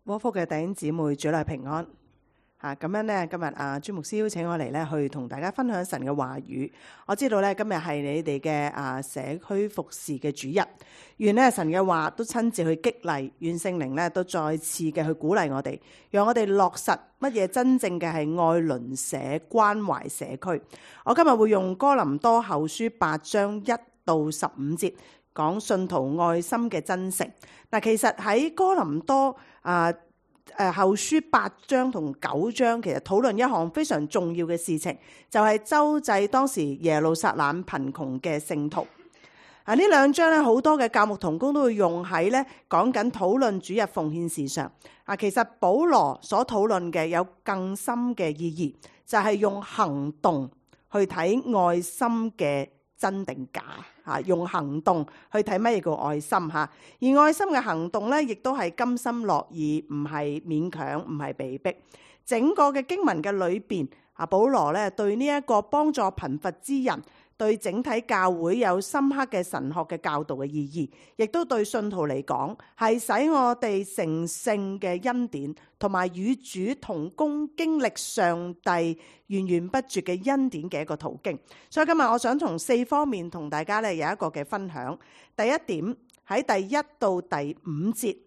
窩福嘅弟兄姊妹，主內平安嚇。咁樣咧，今日朱牧師邀請我嚟咧，去同大家分享神嘅話語。我知道咧，今日係你哋嘅社區服侍嘅主日，願咧神嘅話都親自去激勵，願聖靈咧都再次嘅去鼓勵我哋，讓我哋落實乜嘢真正嘅係愛鄰舍、關懷社區。我今日會用哥林多後書8章1到15節。講信徒愛心嘅真誠。嗱，其實喺哥林多後書8章同9章，其實討論一項非常重要嘅事情，就係周濟當時耶路撒冷貧窮嘅聖徒。呢兩章咧，好多嘅教牧同工都會用喺咧講緊討論主日奉獻事上。其實保羅所討論嘅有更深嘅意義，就係用行動去睇愛心嘅真定假。用行動去睇乜嘢叫愛心嚇，而愛心嘅行動咧，亦都係甘心樂意，唔係勉強，唔係被逼。整個嘅經文嘅裏邊，保羅咧對呢一個幫助貧乏之人，對整體教會有深刻嘅神學嘅教導嘅意義，亦都對信徒嚟講係使我哋成聖嘅恩典，同埋與主同工經歷上帝源源不絕嘅恩典嘅一個途徑。所以今日我想從4方面同大家咧有一個嘅分享。第一點，喺第1到第5節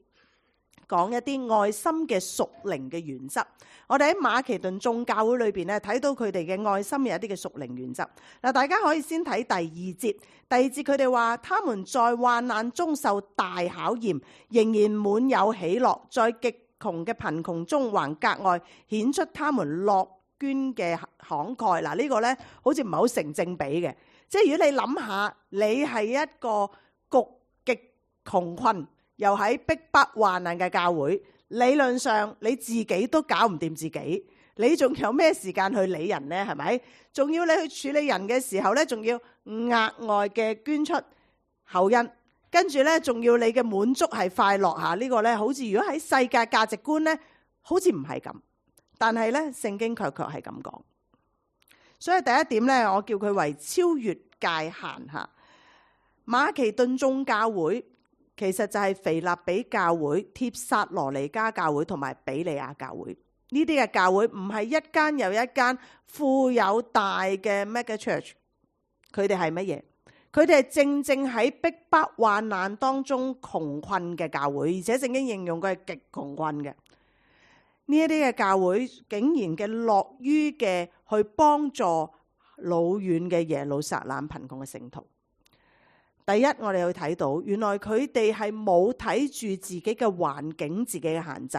講一啲愛心嘅屬靈嘅原則。我哋喺馬其頓眾教會裏邊咧睇到佢哋嘅愛心有一啲嘅屬靈原則。嗱，大家可以先睇第2節。第2節佢哋話，他們在患難中受大考驗，仍然滿有喜樂，在極窮嘅貧窮中還格外顯出他們樂捐嘅慷慨。嗱，呢個咧好似唔係好成正比嘅。即係如果你諗下，你係一個極窮困又喺逼迫患難嘅教會，理論上你自己都搞唔掂自己，你仲有咩時間去理人呢？係咪？仲要你去處理人嘅時候咧，仲要額外嘅捐出厚恩，跟住咧仲要你嘅滿足係快樂嚇。呢個咧好似如果喺世界價值觀咧，好似唔係咁，但係咧聖經卻係咁講。所以第一點咧，我叫佢為超越界限嚇。馬其頓眾教會其實就係腓立比教會、帖撒羅尼迦教會同埋比利亞教會。呢啲嘅教會唔係一間又一間富有大嘅 mega church， 佢哋係乜嘢？佢哋係正正喺逼迫患難當中窮困嘅教會，而且聖經形容佢係極窮困嘅。呢一啲嘅教會竟然嘅樂於嘅去幫助老遠嘅耶路撒冷貧窮嘅聖徒。第一，我哋去睇到，原來佢哋係冇睇住自己嘅環境、自己嘅限制，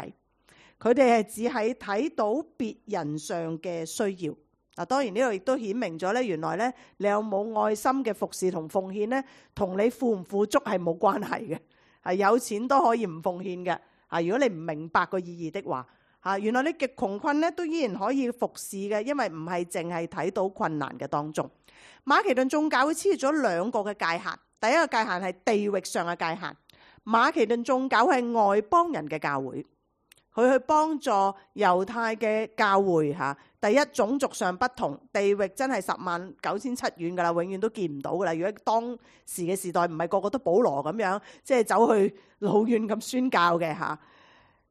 佢哋係只係睇到別人上嘅需要。嗱，當然呢度亦都顯明咗咧，原來咧你有冇愛心嘅服侍同奉獻咧，同你富唔富足係冇關係嘅。係有錢都可以唔奉獻嘅。如果你唔明白個意義的話，原來你極窮困咧都依然可以服侍嘅，因為唔係淨係睇到困難嘅當中。馬其頓眾教會超越咗2個嘅界限。第一個界限係地域上嘅界限。馬其頓眾教會係外邦人嘅教會，佢去幫助猶太嘅教會嚇。第一，種族上不同，地域真係109,700遠噶啦，永遠都見唔到噶啦。如果當時嘅時代唔係個個都保羅咁樣，即係走去老遠咁宣教嘅嚇。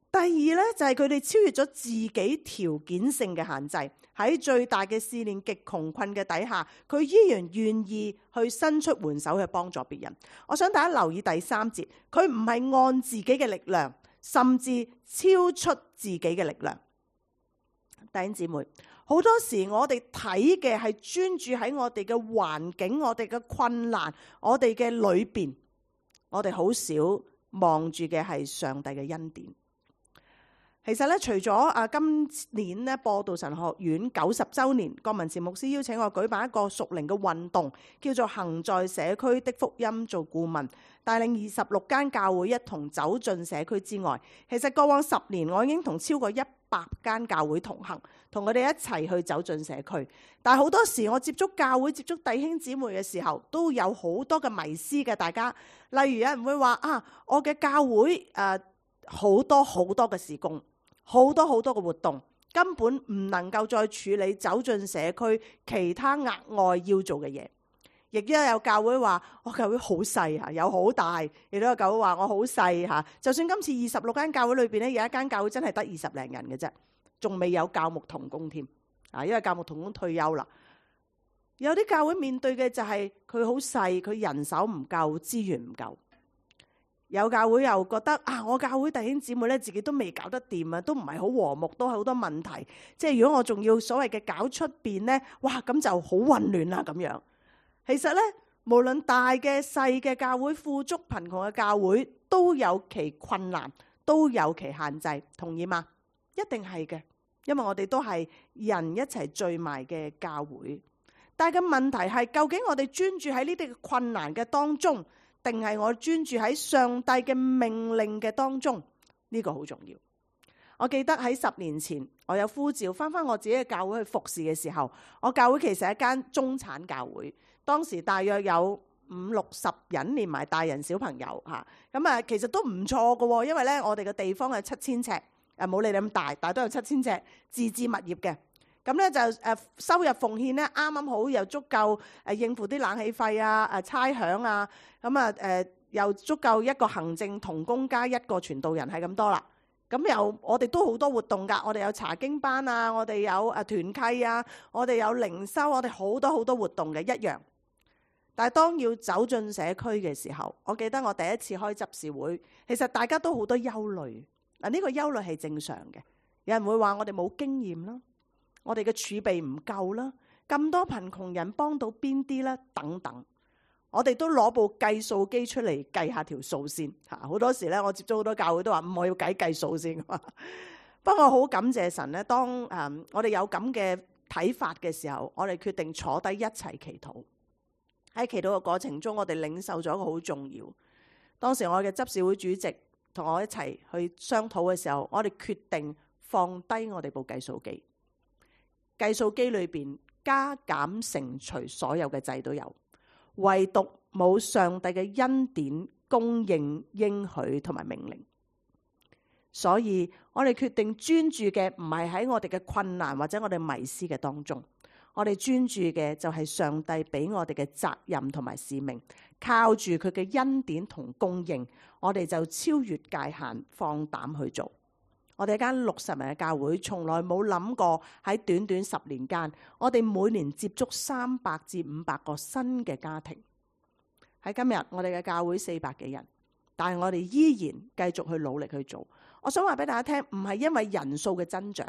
第二咧就係佢哋超越咗自己條件性嘅限制，喺最大嘅試煉、極窮困嘅底下，佢依然願意去伸出援手去幫助別人。我想大家留意第3節，佢唔係按自己嘅力量，甚至超出自己嘅力量。弟兄姊妹，好多時我哋睇嘅係專注喺我哋嘅環境、我哋嘅困難、我哋嘅裏邊，我哋好少望住嘅係上帝嘅恩典。其實咧，除咗今年咧播道神學院90週年，郭文慈牧師邀請我舉辦一個屬靈嘅運動，叫做行在社區的福音做顧問，帶領26間教會一同走進社區之外。其實過往10年，我已經同超過100間教會同行，同佢哋一齊去走進社區。但係好多時我接觸教會、接觸弟兄姊妹嘅時候，都有好多嘅迷思嘅。大家例如有人會話我嘅教會好多嘅事工。好多嘅活動根本唔能夠再處理走進社區其他額外要做嘅嘢，亦都有教會話我教會好細嚇，有好大，亦都有教會話我好細嚇。就算今次26間教會裏邊咧，有一間教會真係得20零人嘅啫，仲未有教牧同工添啊，因為教牧同工退休啦。有啲教會面對嘅就係佢好細，佢人手唔夠，資源唔夠。有教會又覺得啊，我教會弟兄姊妹咧自己都未搞得掂啊，都唔係好和睦，都係好多問題。即係如果我仲要所謂嘅搞出邊咧，哇咁就好混亂啦咁樣。其實咧，無論大嘅細嘅教會，富足貧窮嘅教會，都有其困難，都有其限制，同意嗎？一定係嘅，因為我哋都係人一齊聚埋嘅教會。但係個問題係，究竟我哋專注喺呢啲困難嘅當中，定係我專注喺上帝嘅命令嘅當中？呢個好重要。我記得喺10年前，我有呼召翻我自己嘅教會去服侍嘅時候，我教會其實係一間中產教會，當時大約有50-60人，連埋大人小朋友嚇，咁啊其實都唔錯㗎喎，因為咧我哋嘅地方係7000尺，冇你哋咁大，但係都有7000尺自置物業嘅。咁咧就收入奉獻咧啱啱好又足夠應付啲冷氣費啊、差餉啊，咁啊又足夠一個行政同工加一個傳道人係咁多啦。咁又我哋都好多活動㗎，我哋有查經班啊，我哋有團契啊，我哋有靈修，我哋好多好多活動嘅一樣。但係當要走進社區嘅時候，我記得我第一次開執事會，其實大家都好多憂慮。嗱，呢個憂慮係正常嘅，有人會話我哋冇經驗啦。我哋嘅儲備唔夠啦，咁多貧窮人幫到邊啲啦？等等，我哋都攞部計數機出嚟計下條數先嚇。好多時咧，我接觸好多教會都話我要計數先。不過好感謝神咧，當我哋有咁嘅睇法嘅時候，我哋決定坐低一齊祈禱。喺祈禱嘅過程中，我哋領受咗一個好重要。當時我嘅執事會主席同我一齊去商討嘅時候，我哋決定放低我哋部計數機。計數機裏邊加減乘除所有嘅掣都有，唯獨冇上帝嘅恩典供應應許同埋命令。所以我哋決定專注嘅唔係喺我哋嘅困難或者我哋迷思嘅當中，我哋專注嘅就係上帝俾我哋嘅責任同埋使命，靠住佢嘅恩典同供應，我哋就超越界限，放膽去做。我哋一間60人嘅教會，從來冇諗過喺短短10年間，我哋每年接觸300至500個新嘅家庭。喺今日，我哋嘅教會400幾人，但係我哋依然繼續去努力去做。我想話俾大家聽，唔係因為人數嘅增長，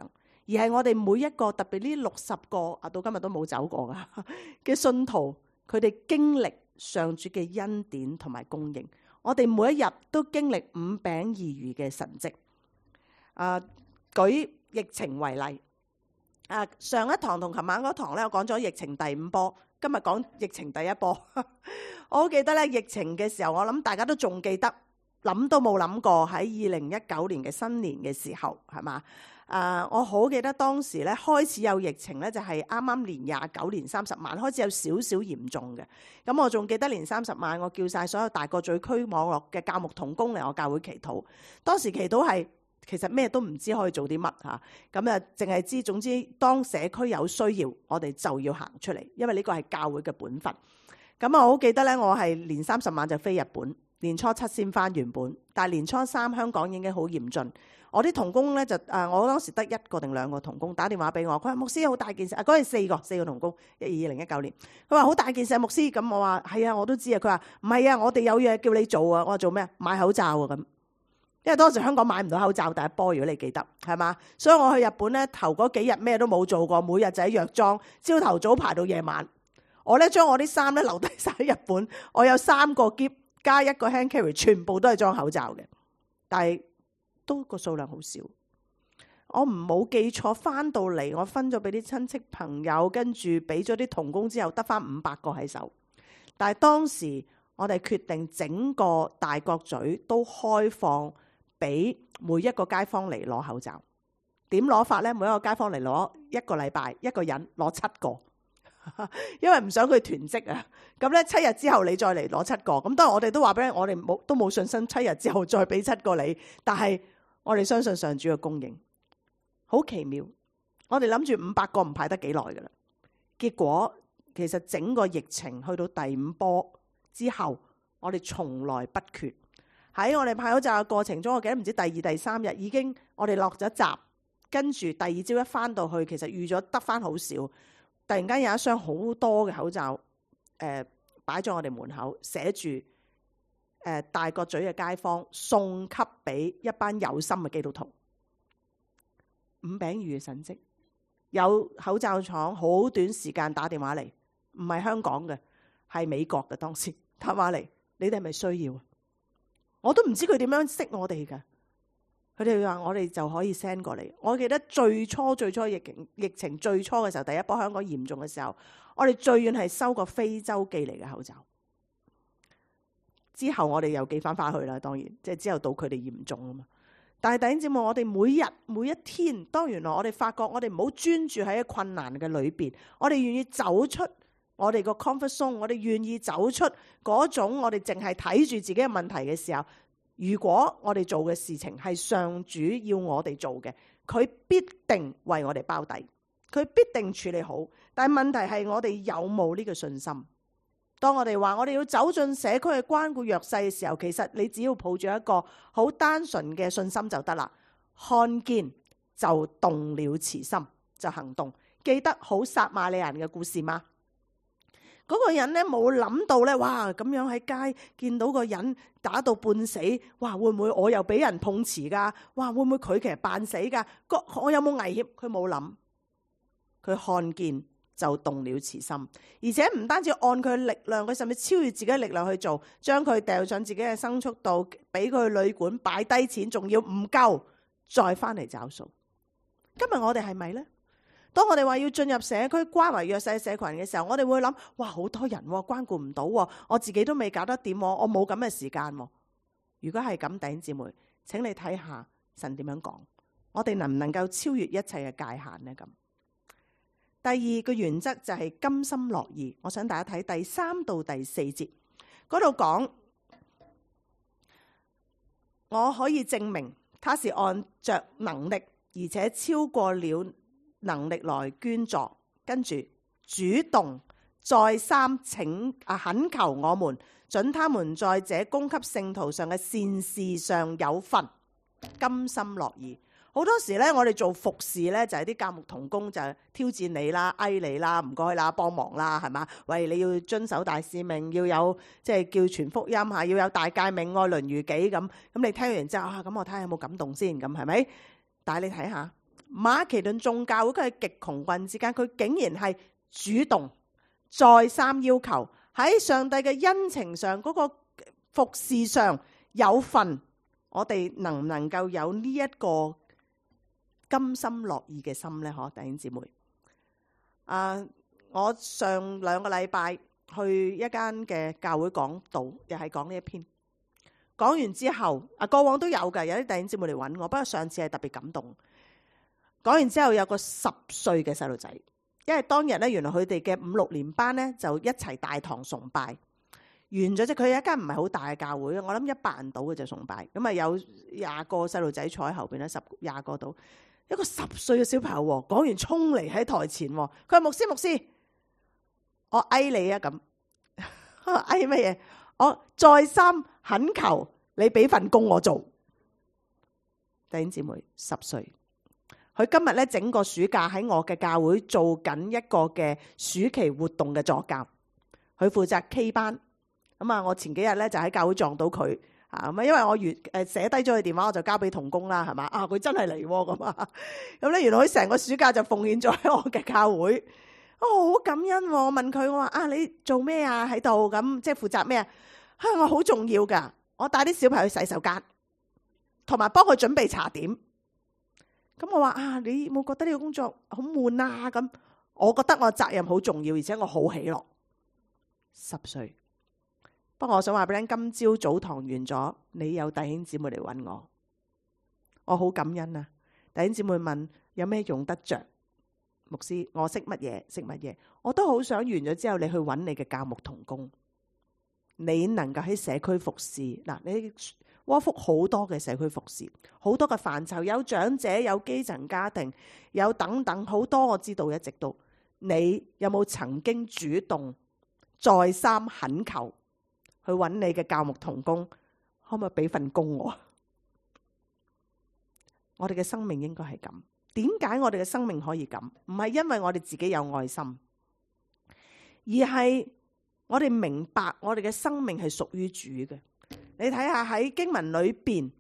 而係我哋每一個，特別呢60個到今日都冇走過噶嘅信徒，佢哋經歷上主嘅恩典同埋供應。我哋每一日都經歷5餅2魚嘅神蹟。舉疫情為例，上一堂同琴晚嗰堂咧，我講咗疫情第5波，今日講疫情第1波。我好記得咧，疫情嘅時候，我諗大家都仲記得，諗都冇諗過喺2019年嘅新年嘅時候，係嘛？我好記得當時咧開始有疫情咧，就係啱啱年29年30晚開始有少少嚴重嘅。咁我仲記得年30晚，我叫晒所有大角咀區網絡嘅教牧同工嚟我教會祈禱。當時祈禱係其實咩都唔知可以做啲乜嚇，咁啊淨係知總之當社區有需要，我哋就要行出嚟，因為呢個係教會嘅本分。咁我好記得咧，我係年30晚就飛日本，年初7先翻原本，但係年初3香港已經好嚴峻。我啲同工咧就我當時得1個定2個同工打電話俾我，佢話牧師好大件事，嗰陣4個同工，2019年，佢話好大件事牧師，咁我話係啊，我都知啊，佢話唔係啊，我哋有嘢叫你做啊，我話做咩？買口罩啊咁。因為當時香港買唔到口罩第1波，如果你記得係嘛，所以我去日本咧頭嗰幾日咩都冇做過，每日就喺藥妝，朝頭早排到夜晚。我咧將我啲衫咧留低晒喺日本，我有3個篋加1個 hand carry， 全部都係裝口罩嘅，但係都個數量好少。我唔冇記錯，翻到嚟我分咗俾啲親戚朋友，跟住俾咗啲同工之後，得翻500個喺手。但係當時我哋決定整個大角咀都開放，俾每一個街坊嚟攞口罩。點攞法呢？每一個街坊嚟攞1個禮拜，一個人攞7個，因為唔想佢囤積啊。咁咧7日之後你再嚟攞7個。咁當然我哋都話俾你，我哋都冇信心7日之後再俾7個你。但係我哋相信上主嘅供應，好奇妙。我哋諗住500個唔排得幾耐噶啦。結果其實整個疫情去到第5波之後，我哋從來不缺。喺我哋派口罩嘅過程中，我記得唔知第2、第3日已經我哋落咗閘，跟住第2朝一翻到去，其實預咗得翻好少。突然間有一箱好多嘅口罩，擺咗我哋門口，寫住大角咀嘅街坊送給俾一班有心嘅基督徒。5餅2魚嘅神蹟，有口罩廠好短時間打電話嚟，唔係香港嘅，係美國嘅，當時打電話嚟，你哋係咪需要？我都唔知佢點樣識我哋㗎。佢哋話我哋就可以 send 過嚟。我記得最初疫情最初嘅時候，第1波香港嚴重嘅時候，我哋最遠係收過非洲寄嚟嘅口罩。之後我哋又寄翻去啦，當然即係之後到佢哋嚴重啊嘛。但係弟兄姊妹，我哋每日每一天，當原來我哋發覺我哋唔好專注喺困難嘅裏邊，我哋願意走出我哋個 comfort zone， 我哋願意走出嗰種我哋淨係睇住自己嘅問題嘅時候，如果我哋做嘅事情係上主要我哋做嘅，佢必定為我哋包底，佢必定處理好。但係問題係我哋有冇呢個信心？當我哋話我哋要走進社區去關顧弱勢嘅時候，其實你只要抱住一個好單純嘅信心就得啦。看見就動了慈心，就行動。記得好撒瑪利亞人嘅故事嗎？嗰個人咧冇諗到咧，哇咁樣喺街見到個人打到半死，哇會唔會我又俾人碰瓷噶？哇會唔會佢其實扮死噶？我有冇危險？佢冇諗，佢看見就動了慈心，而且唔單止按佢力量，佢甚至超越自己嘅力量去做，將佢掉上自己嘅牲畜度，俾佢去旅館擺低錢，仲要唔夠再翻嚟找數。今日我哋係咪呢？當我哋話要進入社區關懷弱勢社群嘅時候，我哋會諗，哇好多人關顧唔到，我自己都未搞得掂，我冇咁嘅時間。如果係咁，弟兄姊妹，請你睇下神點樣講，我哋能唔能夠超越一切嘅界限呢？咁第2個原則就係甘心樂意。我想大家睇第3到第4節嗰度講，我可以證明他是按着能力，而且超過了能力來捐助，跟住主動再三懇求我們，准他們在這供給聖徒上嘅善事上有份，甘心樂意。好多時咧，我哋做服侍咧，就係啲教牧同工就挑戰你啦、嗌你啦、唔該啦、幫忙啦，係嘛？喂，你要遵守大使命，要有即係叫傳福音嚇，要有大誡命、愛鄰如己咁。咁你聽完之後咁我睇下有冇感動先，咁係咪？但係你睇下馬其頓眾教會，佢係極窮困之間，佢竟然係主動再三要求喺上帝嘅恩情上嗰個服侍上有份。我哋能唔能夠有呢一個甘心樂意嘅心呢？弟兄姊妹，我上2個禮拜去一間嘅教會講道，又係講呢一篇。講完之後，過往都有嘅，有啲弟兄姊妹嚟揾我，不過上次係特別感動。講完之後，有個10歲嘅細路仔，因為當日咧，原來佢哋嘅5、6年班咧就一齊大堂崇拜。完咗即佢有一間唔係好大嘅教會，我諗100人到嘅就崇拜。咁啊有20個細路仔坐喺後邊咧，10、20個到。一個10歲嘅小朋友講完衝嚟喺台前，佢話牧師，我嗌你啊咁，嗌乜嘢？我再三懇求你俾份工我做。弟兄姊妹，10歲，佢今日咧整個暑假喺我嘅教會做緊一個嘅暑期活動嘅助教，佢負責 K 班。咁啊，我前幾日咧就喺教會撞到佢。咁因為我寫低咗佢電話，我就交俾同工啦，係嘛？佢真係嚟咁啊！咁咧，原來佢成個暑假就奉獻咗喺我嘅教會，我好感恩。我問佢，我話你做咩啊？喺度咁，即係負責咩啊？我好重要噶，我帶啲小朋友去洗手間，同埋幫佢準備茶點。咁我話你冇覺得呢個工作好悶啊？咁我覺得我責任好重要，而且我好喜樂。10歲。不過我想話俾你聽，今朝早堂完咗，你有弟兄姊妹嚟揾我好感恩啊！弟兄姊妹問有咩用得着？牧師，我識乜嘢？我都好想完咗之後，你去揾你嘅教牧同工，你能夠喺社區服侍嗱，你窩福好多嘅社區服侍，好多嘅範疇，有長者，有基層家庭，有等等好多，我知道一直都，你有冇曾經主動再三懇求去揾你嘅教牧同工，可唔可以俾份工我？我哋嘅生命應該係咁。點解我哋嘅生命可以咁？唔係因為我哋自己有愛心，而係我哋明白我哋嘅生命係屬於主嘅。你睇下喺經文裏邊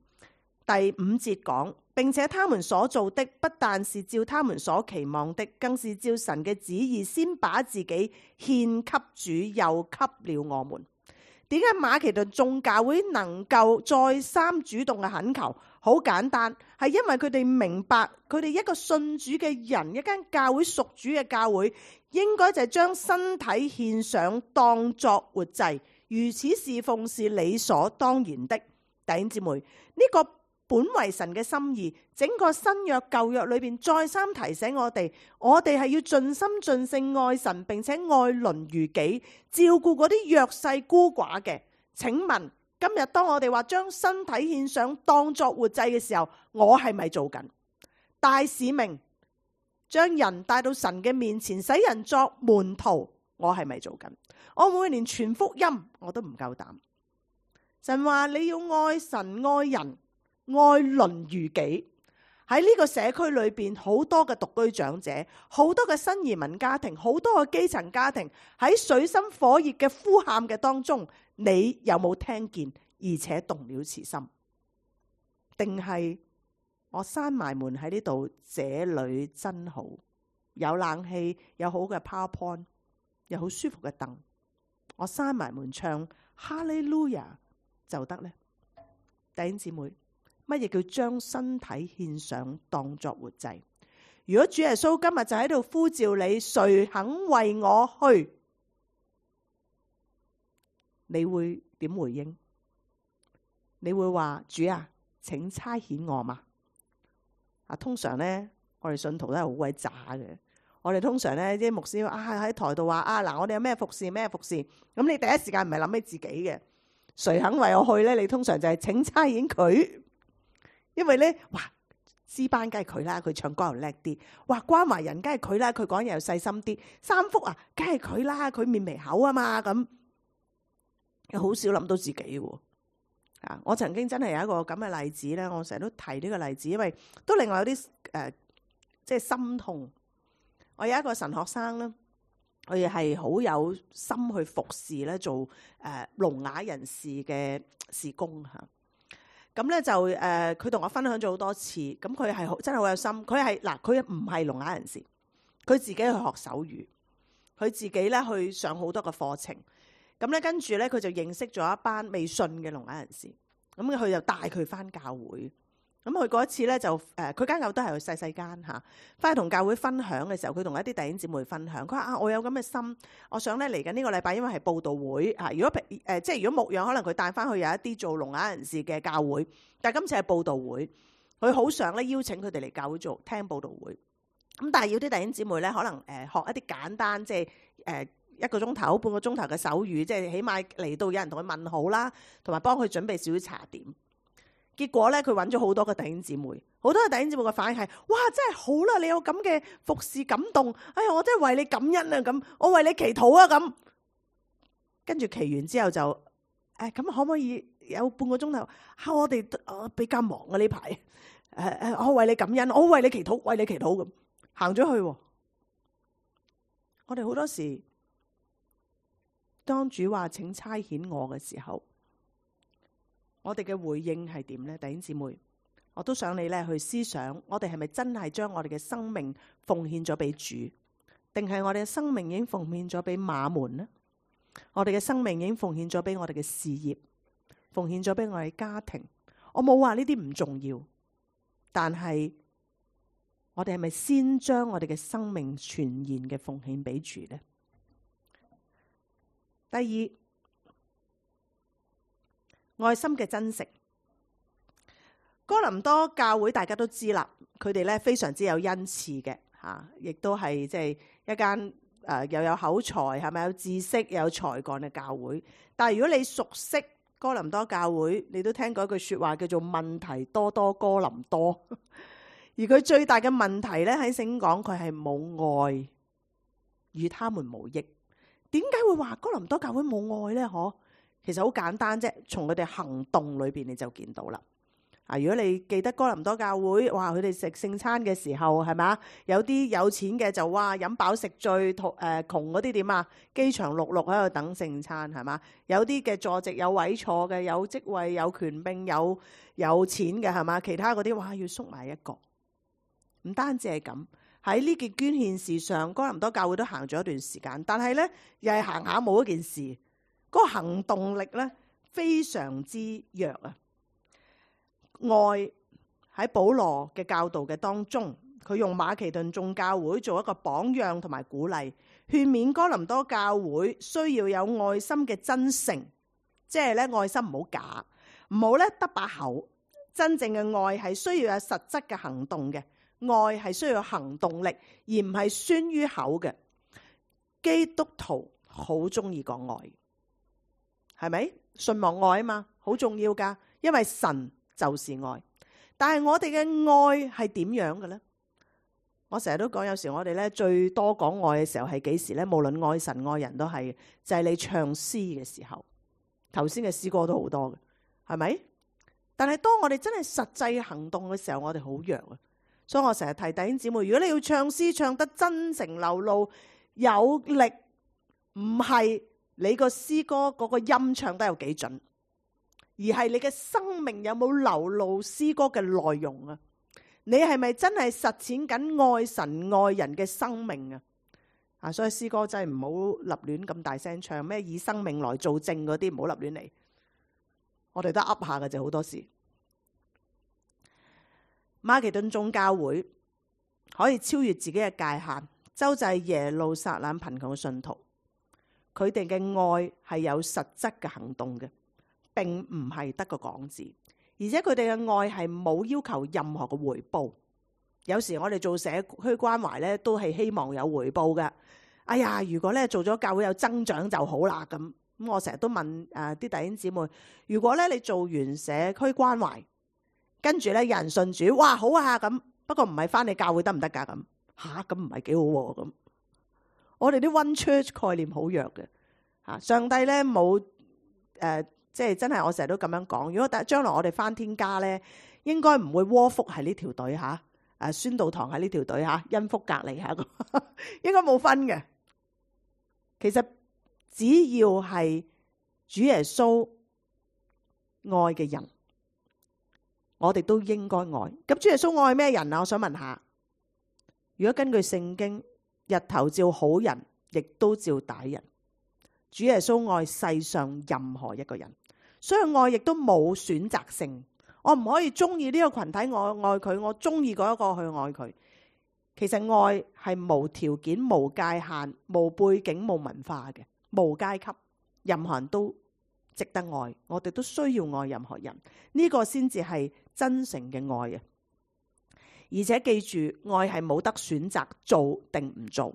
第5節講，並且他們所做的不但是照他們所期望的，更是照神嘅旨意，先把自己獻給主，又給了我們。點解馬其頓眾教會能夠再三主動嘅懇求？好簡單，係因為佢哋明白，佢哋一個信主嘅人，一間教會屬主嘅教會，應該就係將身體獻上當作活祭，如此侍奉是理所當然的。弟兄姊妹，呢個本為神嘅心意，整個新約舊約裏邊再三提醒我哋係要盡心盡性愛神，並且愛鄰如己，照顧嗰啲弱勢孤寡嘅。請問今日當我哋話將身體獻上當作活祭嘅時候，我係咪做緊大使命？將人帶到神嘅面前，使人作門徒，我係咪做緊？我每年傳福音我都唔夠膽。神話你要愛神愛人愛鄰如己。喺呢個社區裏邊，好多嘅獨居長者，好多嘅新移民家庭，好多嘅基層家庭，喺水深火熱嘅呼喊嘅當中，你有冇聽見而且動了慈心？定係我閂埋門喺呢度，這裏真好，有冷氣，有好嘅 PowerPoint， 有好舒服嘅凳，我閂埋門唱哈利路亞就得呢？弟兄姊妹，乜嘢叫將身體獻上當作活祭？如果主耶穌今日就喺度呼召你，誰肯為我去？你會點回應？你會話主啊，請差遣我嘛？通常呢，我哋信徒都係好鬼渣嘅。我哋通常呢啲牧師喺台度話嗱，我哋有咩服侍咩服侍，咁你第一時間唔係諗起自己嘅，誰肯為我去呢？你通常就係請差遣佢。因為咧，哇，詩班梗係佢啦，佢唱歌又叻啲；哇，關懷人梗係佢啦，佢講嘢又細心啲；三福啊，梗係佢啦，佢面眉口啊嘛，咁又好少諗到自己喎。我曾經真係有一個咁嘅例子咧，我成日都提呢個例子，因為都令我有啲即係心痛。我有一個神學生咧，佢係好有心去服侍咧，做聾啞人士嘅事工嚇。咁咧就佢同我分享咗好多次，咁佢係真係好有心。佢唔係聾啞人士，佢自己去學手語，佢自己咧去上好多嘅課程。咁咧跟住咧佢就認識咗一班未信嘅聾啞人士，咁佢就帶佢翻教會。咁佢嗰一次咧就佢間教會都係細細間嚇，翻去同教會分享嘅時候，佢同一啲弟兄姊妹分享，佢話我有咁嘅心，我想咧嚟緊呢個禮拜，因為係佈道會嚇，如果即係如果牧養，可能佢帶翻去有一啲做聾啞人士嘅教會，但係今次係佈道會，佢好想咧邀請佢哋嚟教會做聽佈道會。咁但係要啲弟兄姊妹咧，可能學一啲簡單，即係1個鐘頭、半個鐘頭嘅手語，即係起碼嚟到有人同佢問好啦，同埋幫佢準備少少茶點。結果咧，佢揾咗好多個弟兄姊妹，好多個弟兄姊妹嘅反應係：哇，真係好啦！你有咁嘅服侍感動，哎呀，我真係為你感恩啊！咁，我為你祈禱啊！咁，跟住祈完之後就咁可唔可以有半個鐘頭？我哋比較忙啊呢排，我為你感恩，我為你祈禱，為你祈禱咁行咗去。我哋好多時，當主話請差遣我嘅時候，我哋嘅回應係點呢？弟兄姊妹，我都想你咧去思想，我哋係咪真係將我哋嘅生命奉獻咗俾主，定係我哋嘅生命已經奉獻咗俾馬門呢？我哋嘅生命已經奉獻咗俾我哋嘅事業，奉獻咗俾我哋家庭。我冇話呢啲唔重要，但係我哋係咪先將我哋嘅生命全然嘅奉獻俾主呢？第二，愛心嘅珍惜。哥林多教會大家都知啦，佢哋咧非常之有恩賜嘅嚇，亦都係即係一間又有口才，係咪有知識又有才幹嘅教會。但係如果你熟悉哥林多教會，你都聽過一句説話叫做問題多多哥林多。而佢最大嘅問題咧喺聖經講佢係冇愛。與他們無益。點解會話哥林多教會冇愛呢？其實好簡單啫，從佢哋行動裏邊你就見到啦。如果你記得哥林多教會，哇，佢哋食聖餐嘅時候係咪？有啲有錢嘅就哇飲飽食醉，窮嗰啲點啊？飢腸轆轆喺度等聖餐係嘛？有啲嘅坐席有位坐嘅，有職位有權柄有錢嘅係嘛？其他嗰啲哇要縮埋一個。唔單止係咁，喺呢件捐獻事上，哥林多教會都行咗一段時間，但係咧又係行下冇一件事，嗰個行動力咧非常之弱啊！愛喺保羅嘅教導嘅當中，佢用馬其頓眾教會做一個榜樣同埋鼓勵，勸勉哥林多教會需要有愛心嘅真誠，即係咧愛心唔好假，唔好咧得把口，真正嘅愛係需要有實質嘅行動嘅，愛係需要行動力，而唔係宣於口嘅。基督徒好中意講愛，係咪？信望愛啊嘛，好重要噶，因為神就是愛，但係我哋嘅愛係點樣嘅咧？我成日都講，有時我哋咧最多講愛嘅時候係幾時咧？無論愛神愛人都係，就係你唱詩嘅時候。頭先嘅詩歌都好多嘅，係咪？但係當我哋真係實際行動嘅時候，我哋好弱啊！所以我成日提弟兄姊妹，如果你要唱詩唱得真情流露有力，唔係你個詩歌嗰個音唱得有幾準，而係你嘅生命有冇流露詩歌嘅內容啊？你係咪真係實踐緊愛神愛人嘅生命啊？所以詩歌真係唔好立亂咁大聲唱，咩以生命來做證嗰啲，唔好立亂嚟。我哋都噏下嘅啫，好多時。馬其頓眾教會可以超越自己嘅界限，周濟耶路撒冷貧窮嘅信徒。佢哋嘅愛係有實質嘅行動嘅，並唔係得個講字，而且佢哋嘅愛係冇要求任何嘅回報。有時我哋做社區關懷咧，都係希望有回報嘅。哎呀，如果咧做咗教會有增長就好啦。咁我成日都問啲弟兄姊妹，如果咧你做完社區關懷，跟住咧有人信主，哇好啊咁，不過唔係翻你教會得唔得噶？咁咁唔係幾好喎咁。我哋啲 One Church 概念好弱嘅嚇，上帝咧冇即係真係我成日都咁樣講。如果將來我哋翻天家咧，應該唔會窩福喺呢條隊嚇，宣道堂喺呢條隊嚇，恩福隔離嚇，應該冇分嘅。其實只要係主耶穌愛嘅人，我哋都應該愛。咁主耶穌愛咩人啊？我想問下，如果根據聖經，日頭照好人，亦都照歹人。主耶穌愛世上任何一個人，所以愛亦都冇選擇性。我唔可以中意呢個群體，我愛佢；我中意嗰一個去愛佢。其實愛係無條件、無界限、無背景、無文化嘅，無階級，任何人都值得愛。我哋都需要愛任何人，呢個先至係真誠嘅愛啊！而且記住，愛係冇得選擇做定唔做。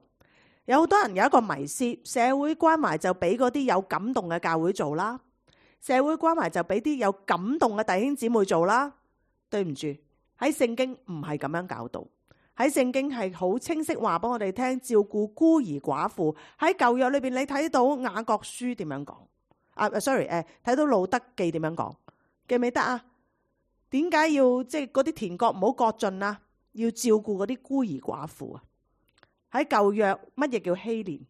有好多人有一個迷思，社會關懷就俾嗰啲有感動嘅教會做啦，社會關懷就俾啲有感動嘅弟兄姊妹做啦。對唔住，喺聖經唔係咁樣教導。喺聖經係好清晰話俾我哋聽，照顧孤兒寡婦。喺舊約裏邊，你睇到雅各書點樣講？sorry，睇到路德記點樣講？記唔記得啊？點解要即係嗰啲田角唔好割盡啊？要照顧嗰啲孤兒寡婦啊！喺舊約乜嘢叫禧年？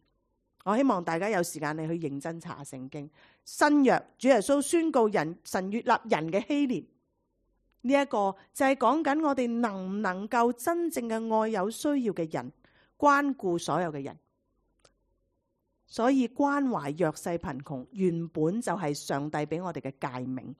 我希望大家有時間你去認真查聖經。新約主耶穌宣告神悅納人嘅禧年。呢一個就係講緊我哋能唔能夠真正嘅愛有需要嘅人，關顧所有嘅人。所以關懷弱勢貧窮原本就係上帝俾我哋嘅誡命，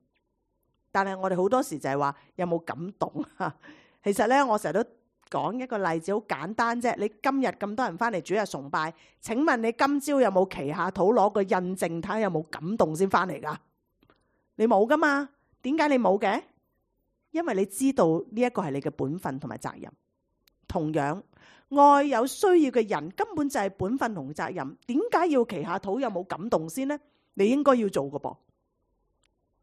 但係我哋好多時就係話有冇感動啊？其實咧，我成日都講一個例子，好簡單啫。你今日咁多人翻嚟主日崇拜，請問你今朝有冇祈下禱攞個印證睇下有冇感動先翻嚟噶？你冇噶嘛？點解你冇嘅？因為你知道呢一個係你嘅本分同埋責任。同樣，愛有需要嘅人根本就係本分同責任。點解要祈下禱有冇感動先呢？你應該要做嘅噃。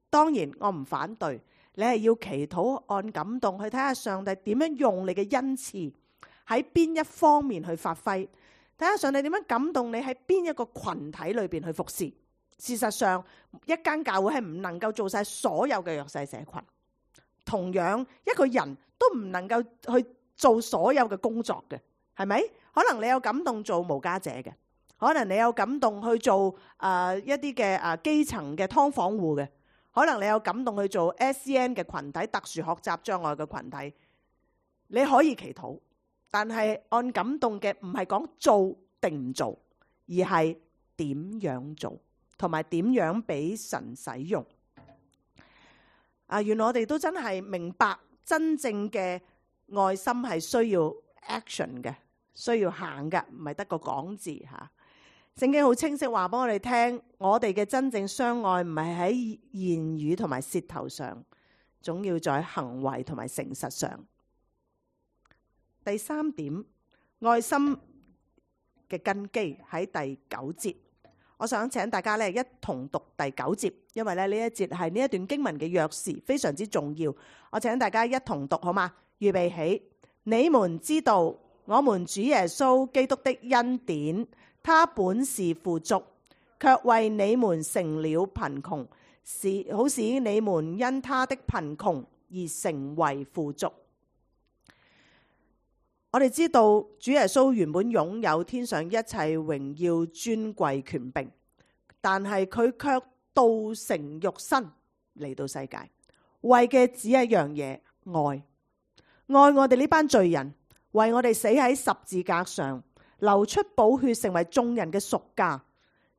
當然我唔反對，你係要祈禱按感動去睇下上帝點樣用你嘅恩賜喺邊一方面去發揮。睇下上帝點樣感動你喺邊一個群體裏邊去服侍。事實上，一間教會係唔能夠做晒所有嘅弱勢社群。同樣，一個人都唔能夠去做所有嘅工作嘅，係咪？可能你有感動做無家者嘅，可能你有感動去做一啲嘅基層嘅劏房戶嘅，可能你有感動去做 SEN 嘅群體，特殊學習障礙嘅群體。你可以祈禱，但係按感動嘅唔係講做定唔做，而係點樣做，同埋點樣俾神使用。原來我哋都真係明白真正嘅愛心係需要 action 嘅，需要行嘅，唔係得個講字嚇。聖經好清晰話俾我哋聽，我哋嘅真正相愛唔係喺言語同埋舌頭上，總要在行為同埋誠實上。第三點，愛心嘅根基喺第9節。我想請大家一同讀第9節，因為呢一節係呢一段經文嘅鑰匙，非常之重要。我請大家一同讀好嗎？預備起。你們知道我們主耶穌基督的恩典，他本是富足，卻為你們成了貧窮，好使你們因他的貧窮而成為富足。我哋知道主耶穌原本擁有天上一切榮耀、尊貴、權柄，但係佢卻道成肉身嚟到世界，為嘅只一樣嘢，愛我哋呢班罪人，為我哋死喺十字架上，流出寶血成為眾人嘅贖價，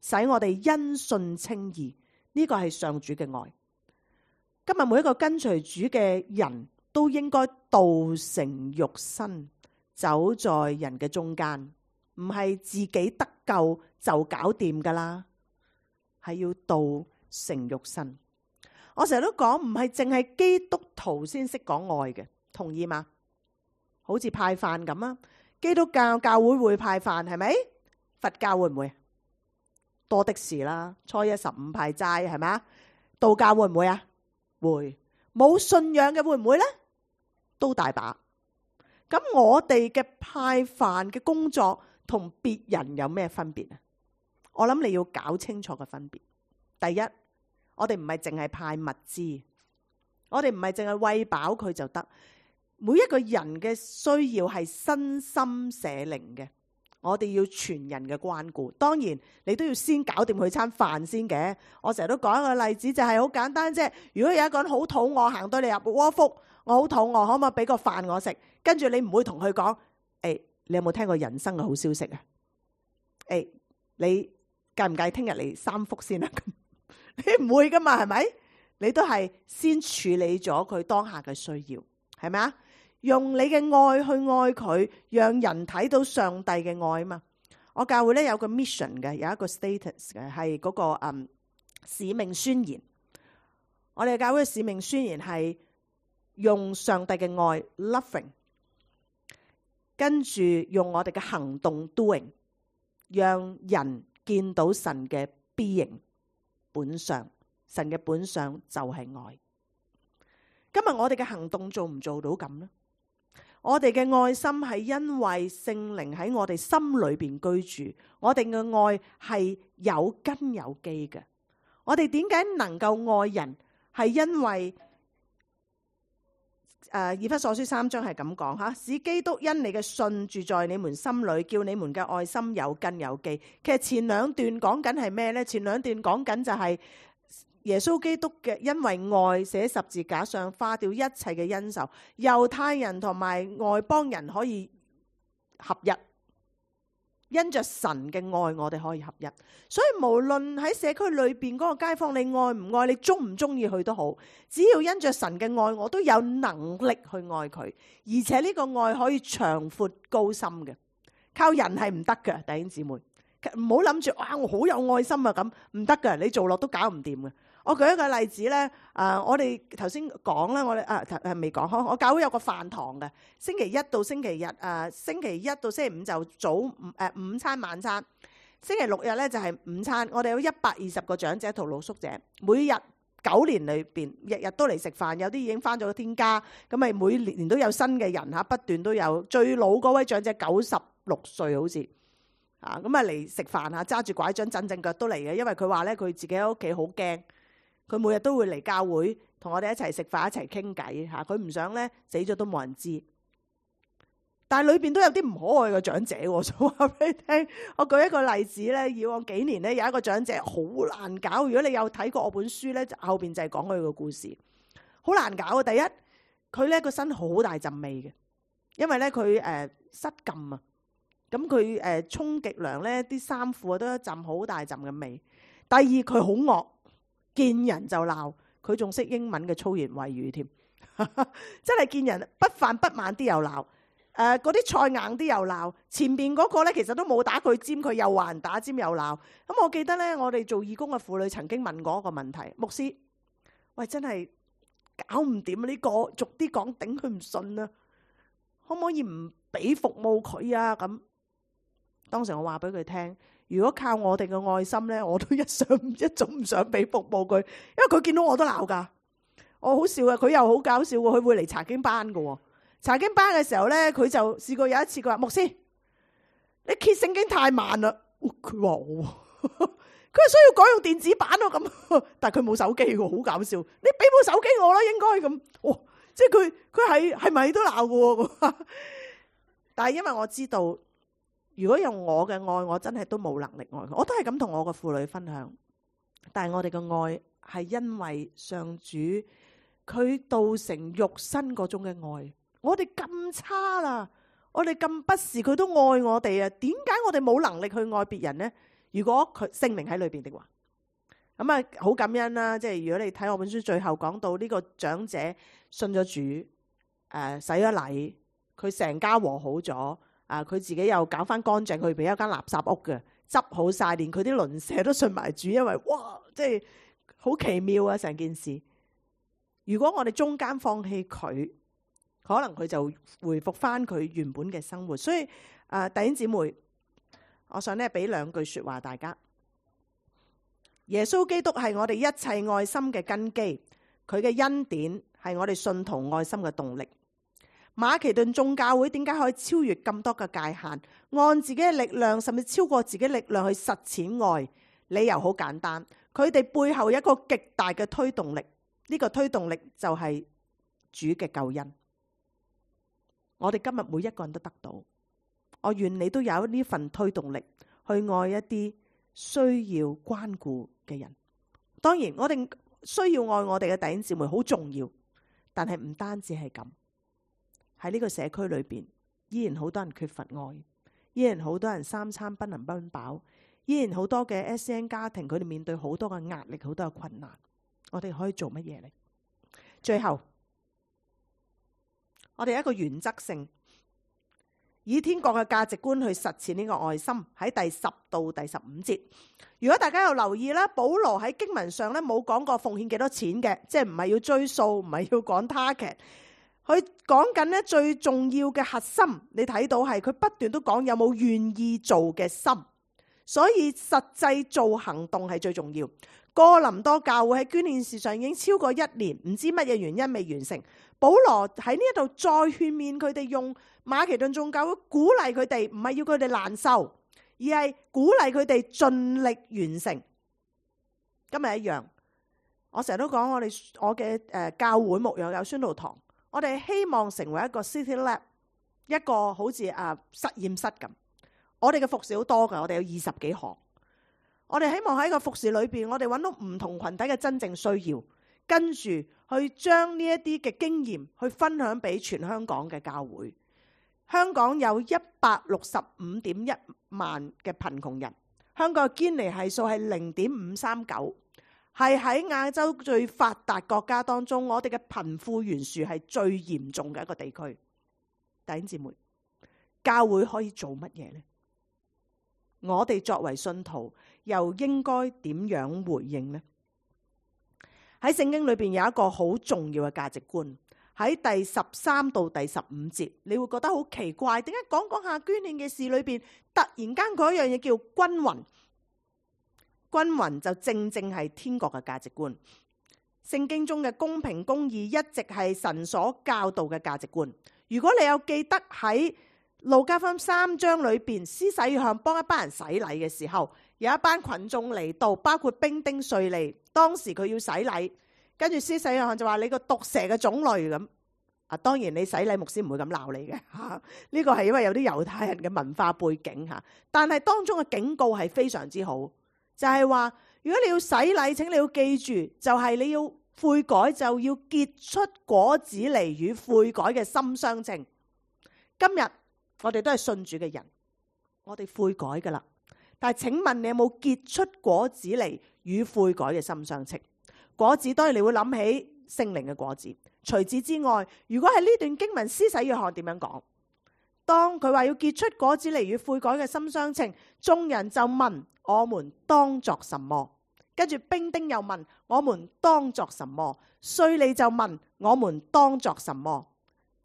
使我哋因信稱義。呢個係上主嘅愛。今日每一個跟隨主嘅人都應該道成肉身，走在人嘅中間，唔係自己得救就搞掂噶啦，係要道成肉身。我成日都講，唔係淨係基督徒先識講愛嘅，同意嗎？好似派飯咁啊，基督教教會會派飯係咪？佛教會唔會？多的是啦，初一15派齋係咪啊？道教會唔會啊？會。冇信仰嘅會唔會呢？都大把。咁我哋嘅派飯嘅工作同別人有咩分別啊？我諗你要搞清楚嘅分別。第一，我哋唔係淨係派物資，我哋唔係淨係餵飽佢就得。每一個人嘅需要係身心社靈嘅，我哋要全人嘅關顧。當然你都要先搞掂佢餐飯先嘅。我成日都講一個例子，就係好簡單啫。如果有一個人好肚餓，行到你入窩福，我好肚餓，可唔可以俾個飯我食？跟住你唔會同佢講，你有冇聽過人生嘅好消息啊？你介唔介意聽日嚟3福先啊？你唔會噶嘛，係咪？你都係先處理咗佢當下嘅需要，係咪啊？用你嘅愛去愛佢，讓人睇到上帝嘅愛啊嘛。我教會有個 mission 嘅，有一個 status 嘅，係嗰個使命宣言。我哋教會嘅使命宣言係用上帝嘅愛 loving， 跟住用我哋嘅行動 doing， 讓人見到神嘅 being 本相。神嘅本相就係愛。今日我哋嘅行動做唔做到咁呢？我哋嘅愛心係因為聖靈喺我哋心裏邊居住，我哋嘅愛係有根有基嘅。我哋點解能夠愛人？係因為以弗所書3章係咁講吓，使基督因你嘅信住在你們心裏，叫你們嘅愛心有根有基。其實前兩段講緊係咩呢？前兩段講緊就係耶穌基督嘅因為愛寫十字架上，化掉一切嘅恩仇，猶太人同埋外邦人可以合一，因着神嘅愛我哋可以合一。所以無論喺社區裏邊嗰個街坊，你愛唔愛，你中唔中意佢都好，只要因着神嘅愛，我都有能力去愛佢，而且呢個愛可以長闊高深嘅，靠人係唔得嘅。弟兄姊妹唔好諗住我好有愛心啊，咁唔得嘅，你做落都搞唔掂嘅。我舉一個例子咧，我哋頭先講啦，我哋未講開。我教會有個飯堂嘅，星期一到星期日，星期一到星期五就早午餐晚餐，星期六日咧就係午餐。我哋有120個長者同露宿者，每日9年裏邊日日都嚟食飯，有啲已經返咗天家，咁咪每年都有新嘅人嚇，不斷都有。最老嗰位長者96歲好似，咁嚟食飯啊，揸住拐杖震震腳都嚟嘅，因為佢話咧佢自己喺屋企好驚，佢每日都會嚟教會同我哋一齊食飯一齊傾偈嚇，佢唔想咧死咗都冇人知。但係裏邊都有啲唔可愛嘅長者喎，想話俾你聽。我舉一個例子咧，以往幾年咧有一個長者好難搞。如果你有睇過我本書咧，後邊就係講佢個故事，好難搞啊！第一，佢咧個身好大陣味嘅，因為咧佢失禁啊，咁佢沖極涼咧啲衫褲都一陣好大陣嘅味。第二，佢好惡，見人就鬧，佢仲識英文嘅粗言穢語添，真係見人不飯不晚啲又鬧。嗰啲菜硬啲又鬧，前邊嗰個咧其實都冇打佢尖，佢又話人打尖又鬧。咁我記得咧，我哋做義工嘅婦女曾經問過一個問題：牧師，喂，真係搞唔掂呢個，逐啲講頂佢唔順啊，可唔可以唔俾服務佢啊？咁當時我話俾佢聽，如果靠我哋嘅愛心咧，我都一早唔想俾服務佢，因為佢見到我都鬧噶。我好笑啊，佢又好搞笑喎，佢會嚟查經班噶喎。查經班嘅時候咧，佢就試過有一次，佢話：牧師，你揭聖經太慢啦。佢話我，佢係需要改用電子版咯咁。但係佢冇手機喎，好搞笑。你俾部手機我啦，應該咁。哦，即係佢係咪都鬧嘅？但係因為我知道，如果用我嘅愛，我真係都冇能力愛佢。我都係咁同我個婦女分享。但係我哋嘅愛係因為上主佢道成肉身嗰種嘅愛。我哋咁差啦，我哋咁不是，佢都愛我哋啊！點解我哋冇能力去愛別人呢？如果佢聖靈喺裏邊的話，咁啊好感恩啦！即係如果你睇我本書最後講到呢個長者信咗主，洗咗禮，佢成家和好咗，佢自己又搞翻乾淨，佢俾一間垃圾屋嘅，執好晒，連佢啲鄰舍都信埋主，因為哇，即係好奇妙啊！成件事，如果我哋中間放棄佢，可能佢就回復翻佢原本嘅生活。所以弟兄姊妹，我想咧俾兩句說話大家。耶穌基督係我哋一切愛心嘅根基，佢嘅恩典係我哋信徒愛心嘅動力。馬其頓眾教會點解可以超越咁多嘅界限，按自己嘅力量甚至超過自己力量去實踐愛？理由好簡單，佢哋背後有一個極大嘅推動力，呢個推動力就係主嘅救恩。我哋今日每一個人都得到，我願你都有呢份推動力去愛一啲需要關顧嘅人。當然我哋需要愛我哋嘅弟兄姊妹好重要，但係唔單止係咁。喺呢個社區裏邊，依然好多人缺乏愛，依然好多人三餐不能溫飽，依然好多嘅 SEN 家庭，佢哋面對好多嘅壓力，好多嘅困難。我哋可以做乜嘢呢？最後我哋一個原則性以天國嘅價值觀去實踐呢個愛心。喺第10到第15節，如果大家有留意啦，保羅喺經文上咧冇講過奉獻幾多錢嘅，即係唔係要追數，唔係要講 target。佢講緊咧最重要嘅核心，你睇到係佢不斷都講有冇願意做嘅心，所以實際做行動係最重要。哥林多教會喺捐獻事上已經超過1年，唔知乜嘢原因未完成。保羅喺呢一度再勸勉佢哋，用馬其頓眾教會鼓勵佢哋，唔係要佢哋難受，而係鼓勵佢哋盡力完成。今日一樣，我成日都講我嘅教會牧養有宣道堂，我哋希望成為一個 City Lab， 一個好似實驗室咁。我哋嘅服侍好多㗎，我哋有20幾項。我哋希望喺個服侍裏邊，我哋揾到唔同群體嘅真正需要，跟住去將呢一啲嘅經驗去分享俾全香港嘅教會。香港有165.1萬嘅貧窮人，香港嘅堅尼係數係0.539，係喺亞洲最發達國家當中，我哋嘅貧富懸殊係最嚴重嘅一個地區。弟兄姊妹，教會可以做乜嘢呢？我哋作為信徒又應該點樣回應呢？喺聖經裏邊有一個好重要嘅價值觀，喺第13到第15節，你會覺得好奇怪，點解講下捐獻嘅事裏邊，突然間嗰一樣嘢叫均勻？均勻就正係天國嘅價值觀。聖經中嘅公平公義一直係神所教導嘅價值觀。如果你有記得喺路加福音3章裏邊，施洗約翰幫一班人洗禮嘅時候，有一班群眾嚟到，包括兵丁稅吏。當時佢要洗禮，跟住施洗約翰就話：你個毒蛇嘅種類咁。當然你洗禮牧師唔會咁鬧你嘅嚇，呢個係因為有啲猶太人嘅文化背景嚇。但係當中嘅警告係非常之好，就係話如果你要洗禮，請你要記住，就係你要悔改，就要結出果子嚟與悔改嘅心相稱。今日我哋都係信主嘅人，我哋悔改噶啦。但係請問你有冇結出果子嚟與悔改嘅心相稱？果子當然你會諗起聖靈嘅果子。除此之外，如果係呢段經文，施洗約翰點樣講？當佢話要結出果子嚟與悔改嘅心相稱，眾人就問：我們當作什麼？跟住兵丁又問：我們當作什麼？稅吏就問：我們當作什麼？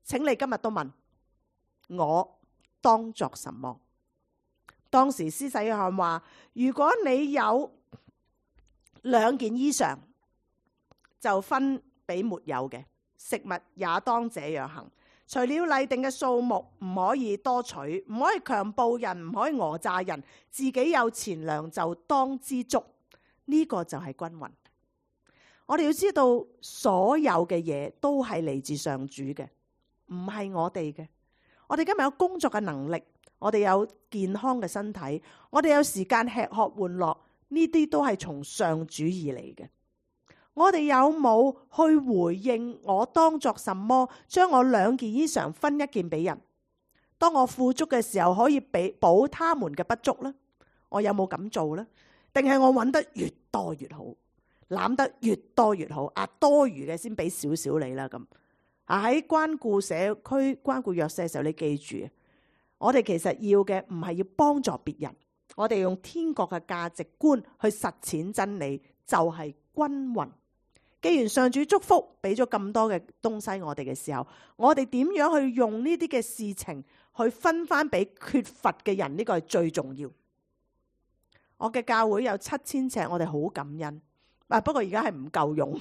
請你今日都問我當作什麼？當時施洗約翰話：如果你有2件衣裳，就分俾沒有嘅，食物也當這樣行。除了例定嘅數目，唔可以多取，唔可以強暴人，唔可以訛詐人，自己有錢糧就當知足。呢個就係均勻。我哋要知道，所有嘅嘢都係嚟自上主嘅，唔係我哋嘅。我哋今日有工作嘅能力，我哋有健康嘅身體，我哋有時間吃喝玩樂，呢啲都係從上主而嚟嘅。我哋有冇去回應我當作什麼？將我2件衣裳分1件俾人，當我富足嘅時候可以補他們嘅不足呢？我有冇咁做呢？定係我揾得越多越好，攬得越多越好？多餘嘅先俾少少你啦咁。喺關顧社區、關顧弱勢嘅時候，你記住，我哋其實要嘅唔係要幫助別人，我哋用天國嘅價值觀去實踐真理，就係均勻。既然上主祝福俾咗咁多嘅東西我哋嘅時候，我哋點樣去用呢啲嘅事情去分翻俾缺乏嘅人？呢個係最重要。我嘅教會有7000尺，我哋好感恩。不過而家係唔夠用。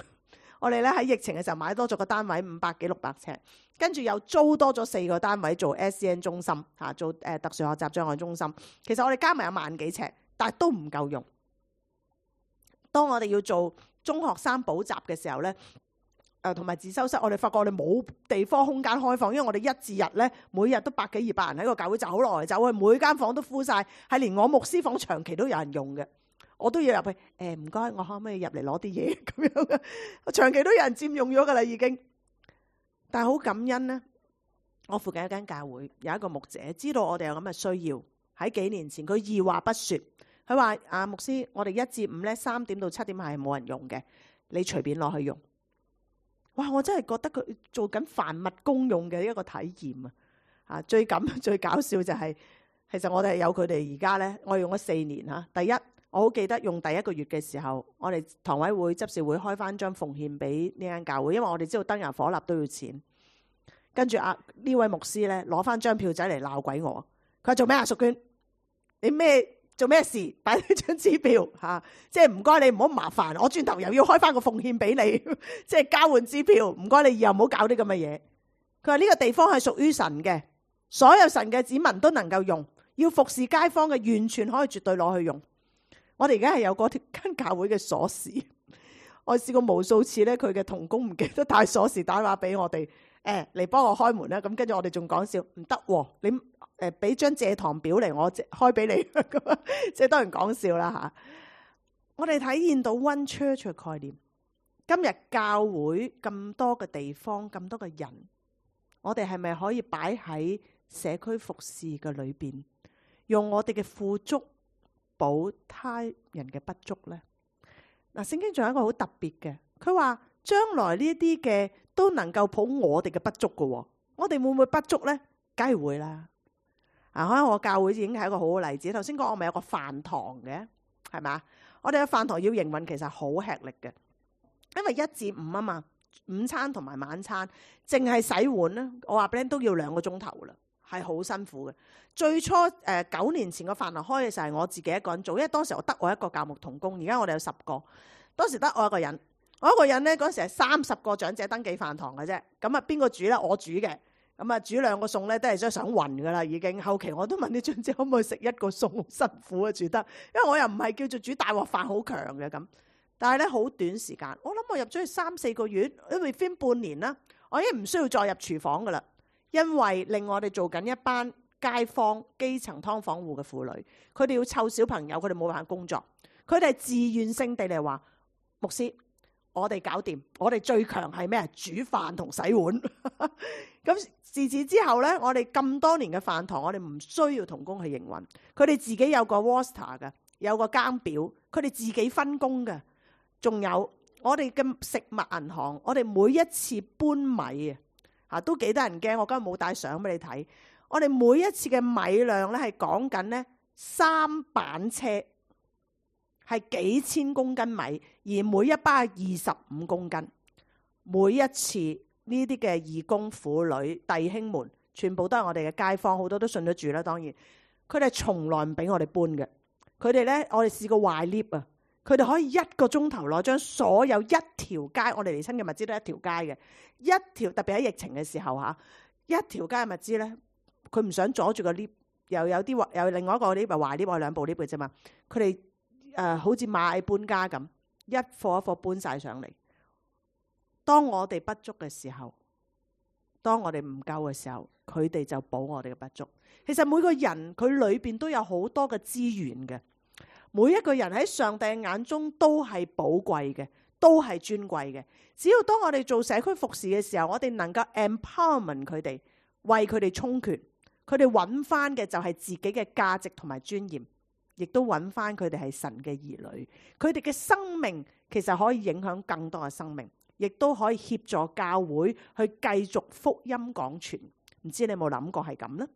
我哋咧喺疫情嘅時候買多咗個單位500幾600尺，跟住又租多咗4個單位做 SCN 中心嚇，做特殊學習障礙中心。其實我哋加埋有1萬幾尺，但係都唔夠用。當我哋要做中學生補習嘅時候咧，同埋自修室，我哋發覺我哋冇地方空間開放，因為我哋1至日咧，每日都100幾200人喺個教會走來走去，每間房都敷晒，係連我牧師房長期都有人用嘅，我都要入去。唔該，我可唔可以入嚟攞啲嘢咁樣嘅？長期都有人佔用咗噶啦，已經。但係好感恩呢，我附近一間教會有一個牧者知道我哋有咁嘅需要，喺幾年前佢二話不說。佢話：牧師，我哋1至5咧3點到7點係冇人用嘅，你隨便攞去用。哇！我真係覺得佢做緊凡物公用嘅一個體驗啊！最搞笑就係，其實我哋有佢哋而家咧，我用咗4年嚇。第一，我好記得用第1個月嘅時候，我哋堂委會執事會開翻張奉獻俾呢間教會，因為我哋知道燈油火蠟都要錢。跟住呢位牧師咧攞翻張票仔嚟鬧鬼我，佢話做咩啊？淑娟，你做咩事？擺呢張支票嚇，即係唔該你唔好麻煩，我轉頭又要開翻個奉獻俾你，即係交換支票。唔該你以後唔好搞啲咁嘅嘢。佢話呢個地方係屬於神嘅，所有神嘅子民都能夠用，要服侍街坊嘅完全可以絕對攞去用。我哋而家係有嗰間教會嘅鎖匙，我試過無數次咧，佢嘅同工唔記得帶鎖匙打電話俾我哋，嚟幫我開門啦。咁跟住我哋仲講笑，唔得喎，你俾張借堂表嚟，我開俾你咁，即係當然講笑啦嚇。我哋體現到 One Church 嘅概念。今日教會咁多嘅地方，咁多嘅人，我哋係咪可以擺喺社區服侍嘅裏邊，用我哋嘅富足補他人嘅不足呢？嗱，聖經仲有一個好特別嘅，佢話將來呢啲嘅都能夠補我哋嘅不足嘅。我哋會唔會不足呢？梗係會啦。可能我教會已經係一個好好例子。頭先講我咪有個飯堂嘅，係咪？我哋嘅飯堂要營運其實好吃力嘅，因為1至5啊嘛，午餐同埋晚餐，淨係洗碗咧，我話俾你都要2個鐘頭啦，係好辛苦嘅。最初9年前個飯堂開嘅時候係我自己一個人做，因為當時我得我一個教牧同工，而家我哋有10個，當時得我一個人。我一個人咧，嗰時係30個長者登記飯堂嘅啫。咁邊個煮咧？我煮嘅。咁啊煮2個餸咧都係想暈噶啦已經。後期我都問啲長者可唔可以食1個餸，好辛苦啊煮得，因為我又唔係叫做煮大鑊飯好強嘅咁。但係咧好短時間，我諗我入咗去3-4個月，因為分半年啦，我已經唔需要再入廚房噶啦，因為令我哋做緊一班街坊基層劏房戶嘅婦女，佢哋要湊小朋友，佢哋冇辦法工作，佢哋係自願性地嚟話，牧師，我哋搞掂，我哋最強係咩？煮飯同洗碗。咁自此之後呢，我哋咁多年嘅飯堂，我哋唔需要同工去營運，佢哋自己有個 roster 嘅，有個更表，佢哋自己分工嘅。仲有我哋嘅食物銀行，我哋每一次搬米啊，都幾得人驚。我今日冇帶相俾你睇，我哋每一次嘅米量咧係講緊呢3板車，係幾千公斤米，而每一包25公斤。每一次呢啲嘅義工婦女弟兄們，全部都係我哋嘅街坊，好多都信咗主啦。當然，佢哋從來唔俾我哋搬嘅。佢哋咧，我哋試過壞 lift 啊。佢哋可以1個鐘頭內將所有一條街，我哋嚟親嘅物資都係一條街嘅，一條特別喺疫情嘅時候嚇，一條街嘅物資咧，佢唔想阻住個 lift， 又有啲有另外一個 lift 壞 lift， 我2部 lift 嘅啫嘛。佢哋好似螞蟻搬家咁，一貨一貨搬晒上嚟。當我哋不足嘅時候，當我哋唔夠嘅時候，佢哋就補我哋嘅不足。其實每個人佢裏邊都有好多嘅資源嘅。每一個人喺上帝眼中都係寶貴嘅，都係尊貴嘅。只要當我哋做社區服侍嘅時候，我哋能夠 empowerment 佢哋，為佢哋充權，佢哋揾翻嘅就係自己嘅價值同埋尊嚴，亦都揾翻佢哋係神嘅兒女。佢哋嘅生命其實可以影響更多嘅生命，亦都可以協助教會去繼續福音廣傳。唔知你有冇諗過係咁呢？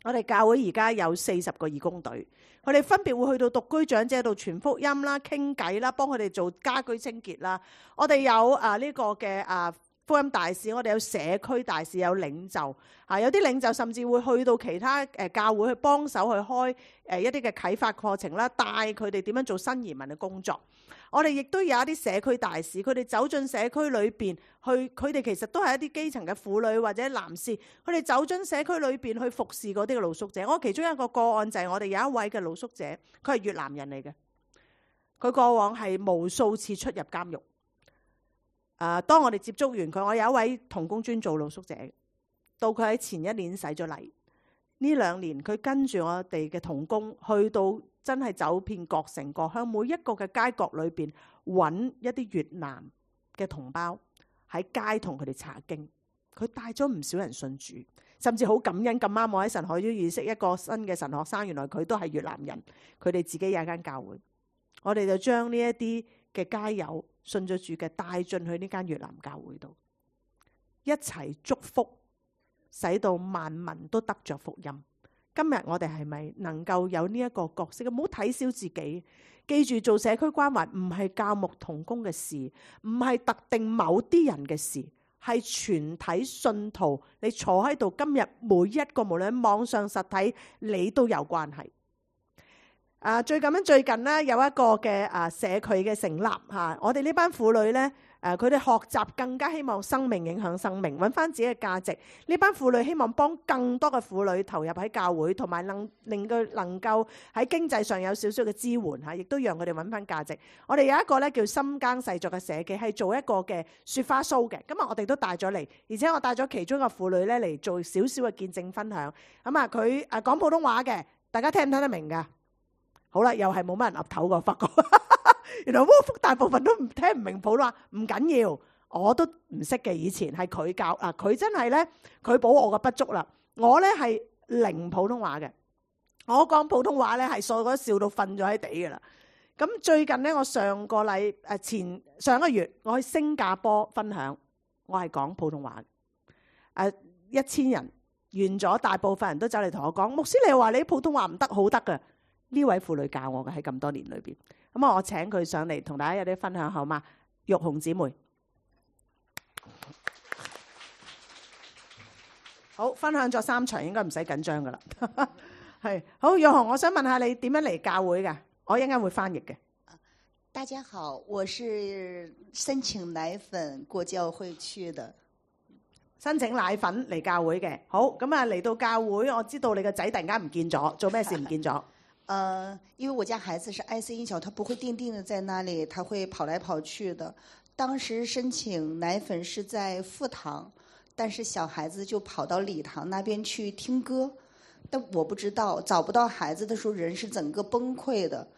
我哋教會而家有40個義工隊，佢哋分別會去到獨居長者度傳福音啦、傾偈啦、幫佢哋做家居清潔啦。我哋有呢個嘅福音大使，我哋有社區大使，有領袖有啲領袖甚至會去到其他教會去幫手去開一啲嘅啟發課程啦，帶佢哋點樣做新移民嘅工作。我哋亦都有一啲社區大使，佢哋走進社區裏邊去，佢哋其實都係一啲基層嘅婦女或者男士，佢哋走進社區裏邊去服侍嗰啲嘅露宿者。我其中一個個案就係我哋有一位嘅露宿者，佢係越南人嚟嘅，佢過往係無數次出入監獄。當我哋接觸完佢，我有一位同工專做露宿者，到佢喺前1年洗咗禮，呢2年佢跟住我哋嘅同工去到真係走遍各城各鄉，每一個嘅街角裏邊揾一啲越南嘅同胞喺街同佢哋查經，佢帶咗唔少人信主，甚至好感恩。咁啱我喺神學院認識一個新嘅神學生，原來佢都係越南人，佢哋自己有一間教會，我哋就將呢一啲嘅街友信咗主嘅帶進去呢間越南教會度，一齊祝福，使到萬民都得着福音。今日我哋係咪能夠有呢一個角色？唔好睇小自己，記住做社區關懷唔係教牧同工嘅事，唔係特定某啲人嘅事，係全體信徒。你坐喺度，今日每一個無論網上實體，你都有關係。最近咧有一個嘅社區嘅成立嚇，我哋呢班婦女咧佢哋學習更加希望生命影響生命，揾翻自己嘅價值。呢班婦女希望幫更多嘅婦女投入喺教會，同埋令佢能夠喺經濟上有少少嘅支援嚇，亦都讓佢哋揾翻價值。我哋有一個咧叫深耕細作嘅社企，係做一個嘅雪花 show 嘅。今日我哋都帶咗嚟，而且我帶咗其中一個婦女咧嚟做少少嘅見證分享。咁佢講普通話嘅，大家聽唔聽得明㗎？好啦，又係冇乜人岌頭個，發覺原來窩福大部分都聽唔明普通話，唔緊要，我都唔識嘅。以前係佢教佢真係咧，佢補我嘅不足啦。我咧係零普通話嘅，我講普通話咧係所有都笑到瞓咗喺地㗎啦。咁最近咧，我上個月我去新加坡分享，我係講普通話，1000人完咗，大部分人都走嚟同我講，牧師你話你普通話唔得，好得㗎。呢位婦女教我嘅，喺咁多年裏邊，咁我請佢上嚟同大家有啲分享好嗎？玉紅姊妹，好，分享咗3場，應該唔使緊張噶啦。係好，玉紅，我想問下你點樣嚟教會㗎？我一陣間會翻譯嘅。大家好，我是申請奶粉過教會去的。申請奶粉嚟教會嘅。好，咁啊嚟到教會，我知道你個仔突然間唔見咗，做咩事唔見咗？因為我家孩子是愛思音小，他不會定的在那裡，他會跑來跑去的。當時申請奶粉是在副堂，但是小孩子就跑到禮堂那邊去聽歌，但我不知道，找不到孩子的時候，人是整個崩潰的。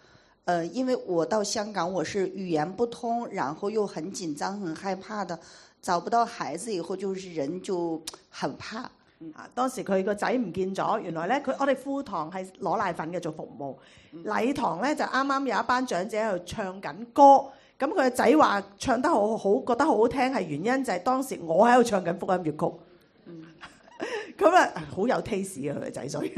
因為我到香港，我是語言不通，然後又很緊張、很害怕的，找不到孩子以後，就是人就很怕。當時佢個仔唔見咗，原來咧我哋副堂係攞奶粉嘅做服務，禮堂咧就啱啱有一班長者喺度唱緊歌，咁佢個仔話唱得好好，覺得好好聽，係原因就係當時我喺度唱緊福音粵曲。咁啊，好有 taste 啊佢個仔，所以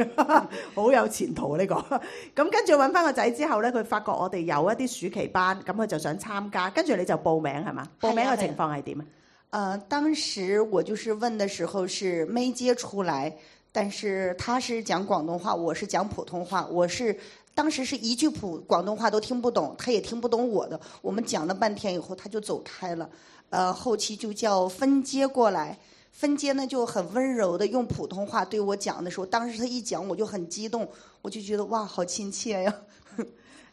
好有前途呢個。咁跟住揾翻個仔之後咧，佢發覺我哋有一啲暑期班，咁佢就想參加，跟住你就報名係嘛？報名嘅情況係點啊？當時我就是問的時候是沒接出來，但是他是講廣東話，我是講普通話，當時是一句廣東話都聽不懂，他也聽不懂我的，我們講了半天以後他就走開了。後期就叫分接過來。分接呢就很溫柔的用普通話對我講的時候，當時他一講我就很激動，我就覺得哇好親切呀。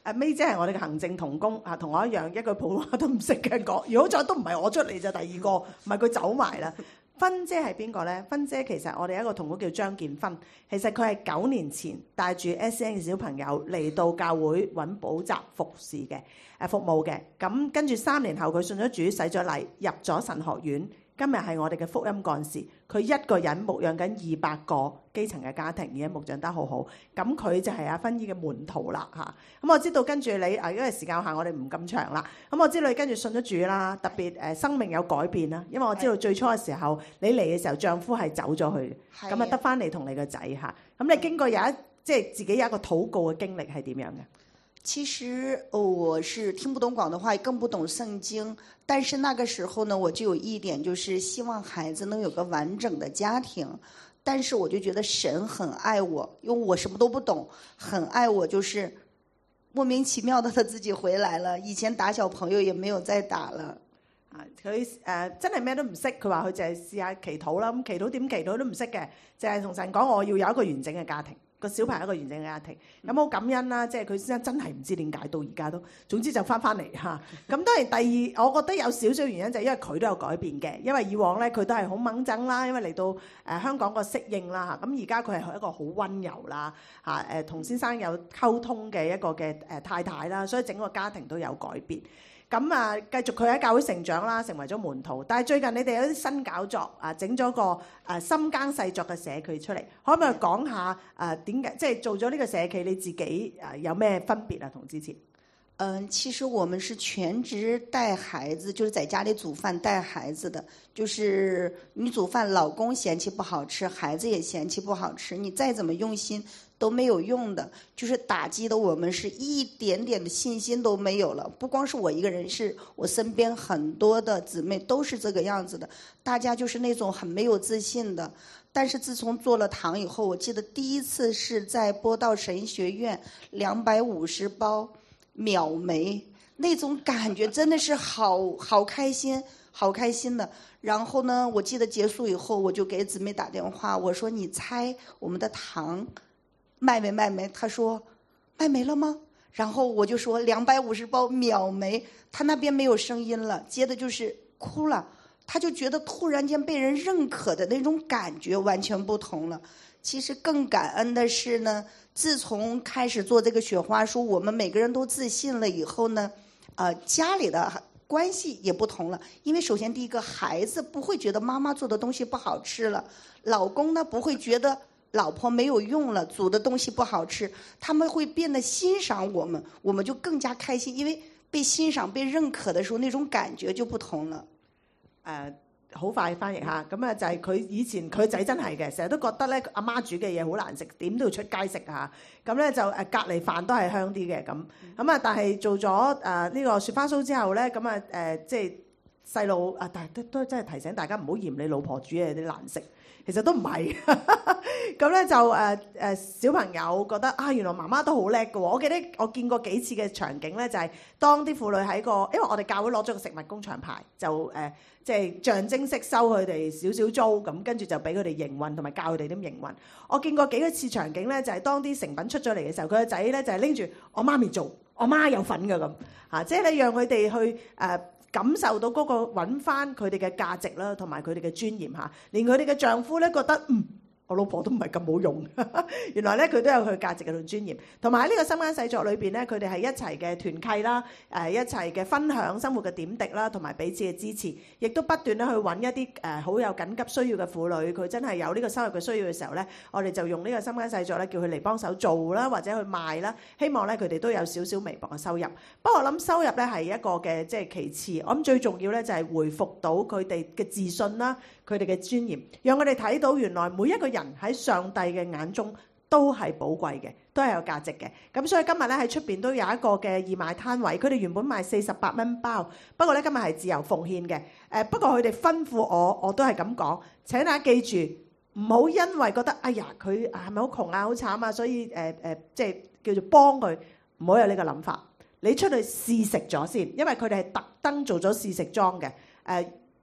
May 姐係我哋嘅行政同工啊，同我一樣一句普通話都唔識嘅講，如果好彩都唔係我出嚟就第二個，唔係佢走埋啦。芬姐係邊個呢？芬姐其實我哋一個同工叫張建芬，其實佢係9年前帶住 SEN 嘅小朋友嚟到教會揾補習服務嘅，咁跟住3年後佢信咗主，洗咗禮，入咗神學院。今日係我哋嘅福音幹事，佢一個人牧養緊200個基層嘅家庭，而家牧養得好好。咁佢就係阿芬姨嘅門徒啦嚇。咁我知道跟住你因為時間有限，我哋唔咁長啦。咁我知道你跟住信咗主啦，特別生命有改變啦。因為我知道最初嘅時候你嚟嘅時候，丈夫係走咗去，咁啊得翻你同你個仔嚇。咁你經過即係自己有一個禱告嘅經歷係點樣嘅？其實我是聽不懂廣東話，更不懂聖經，但是那個時候呢，我就有一點就是希望孩子能有個完整的家庭，但是我就覺得神很愛我，因為我什麼都不懂，很愛我，就是莫名其妙的他自己回來了，以前打小朋友也沒有再打了。佢真係咩都唔識，佢話佢就係試下祈禱啦，咁祈禱點祈禱都唔識嘅，就係同神講我要有一個完整嘅家庭。個小朋友一個完整嘅家庭，咁好感恩啦！即係佢先生真係唔知點解到而家都，總之就翻嚟嚇。咁當然第二，我覺得有少少原因就係因為佢都有改變嘅，因為以往咧佢都係好掹憎啦，因為嚟到香港個適應啦嚇。咁而家佢係一個好溫柔啦嚇，同先生有溝通嘅一個嘅太太啦，所以整個家庭都有改變。咁啊，繼續佢喺教會成長啦，成為咗門徒。但係最近你哋有啲新搞作啊，整咗個深耕細作嘅社企出嚟，可唔可以講下點解即係做咗呢個社企你自己有咩分別啊？同之前？其實我們是全職帶孩子，就是在家裡煮飯帶孩子的。就是你煮飯，老公嫌棄不好吃，孩子也嫌棄不好吃，你再怎麼用心都沒有用的。就是打擊的我們是一點點的信心都沒有了。不光是我一個人，是我身邊很多的姊妹都是這個樣子的。大家就是那種很沒有自信的。但是自從做了堂以後，我記得第一次是在播道神學院250包秒沒，那種感覺真的是好開心，好開心的。然後呢，我記得結束以後，我就給姊妹打電話，我說你猜我們的糖賣沒？他說賣沒了嗎？然後我就說250包秒沒，他那邊沒有聲音了，接的就是哭了。他就覺得突然間被人認可的那種感覺完全不同了。其實更感恩的是呢，自從開始做這個雪花書，我們每個人都自信了以後呢，家裡的關係也不同了。因為首先第一個，孩子不會覺得媽媽做的東西不好吃了，老公呢不會覺得老婆沒有用了，煮的東西不好吃，他們會變得欣賞我們，我們就更加開心，因為被欣賞、被認可的時候，那種感覺就不同了。好快翻譯下，咁啊就係佢以前佢仔真係嘅，成日都覺得咧阿媽煮嘅嘢好難食，點都要出街食嚇。咁咧就隔離飯都係香啲嘅咁。咁啊但係做咗呢個雪花酥之後咧，咁啊即係細路啊，但係都真係提醒大家唔好嫌你老婆煮嘢啲難食，其實都唔係。咁咧就小朋友覺得啊，原來媽媽都好叻嘅喎。我記得我見過幾次嘅場景咧，就係當啲婦女喺個，因為我哋教會攞咗個食物工場牌，就即係象徵式收佢哋少少租，咁跟住就俾佢哋營運同埋教佢哋點營運。我見過幾個次場景咧，就係當啲成品出咗嚟嘅時候，佢個仔咧就係拎住我媽咪做，我媽有份嘅咁嚇，即係你讓佢哋去感受到嗰個揾翻佢哋嘅價值啦，同埋佢哋嘅尊嚴嚇，連佢哋嘅丈夫咧覺得我老婆都唔係咁好用，原來咧佢都有佢價值嘅同尊嚴，同埋喺呢個心間細作裏邊咧，佢哋係一齊嘅團契啦，一齊嘅分享生活嘅點滴啦，同埋彼此嘅支持，亦都不斷咧去揾一啲好有緊急需要嘅婦女，佢真係有呢個收入嘅需要嘅時候咧，我哋就用呢個心間細作咧，叫佢嚟幫手做啦，或者去賣啦，希望咧佢哋都有少少微薄嘅收入。不過我諗收入咧係一個嘅即係其次，我諗最重要咧就係回復到佢哋嘅自信啦，佢哋嘅尊嚴，讓我哋睇到原來每一個人喺上帝嘅眼中都係寶貴嘅，都係有價值嘅。咁所以今日咧喺出邊都有一個嘅義賣攤位，佢哋原本賣48蚊包，不過咧今日係自由奉獻嘅。不過佢哋吩咐我都係咁講，請大家記住，唔好因為覺得哎呀佢係咪好窮啊、好慘啊，所以即係叫做幫佢，唔好有呢個諗法。你出去試食咗先，因為佢哋係特登做咗試食裝嘅，